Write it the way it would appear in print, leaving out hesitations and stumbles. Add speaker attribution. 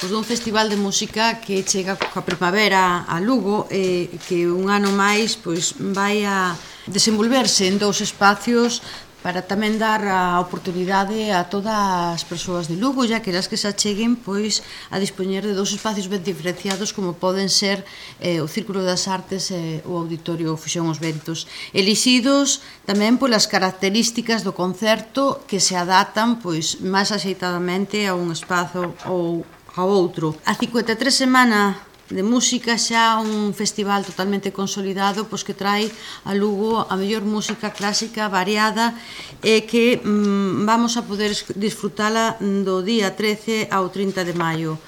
Speaker 1: Dun festival de música que chega coa primavera a Lugo e que un ano máis vai a desenvolverse en dous espacios para tamén dar a oportunidade a todas as persoas de Lugo, ya que elas que se acheguen a dispoñer de dous espacios ben diferenciados como poden ser o Círculo das Artes e o Auditorio Fuxón os Ventos, elixidos tamén polas características do concerto que se adaptan máis axeitadamente a un espazo ou a outro. A 53 semana de música, xa un festival totalmente consolidado que trai a Lugo a mellor música clásica variada e que vamos a poder disfrutala do día 13 ao 30 de maio.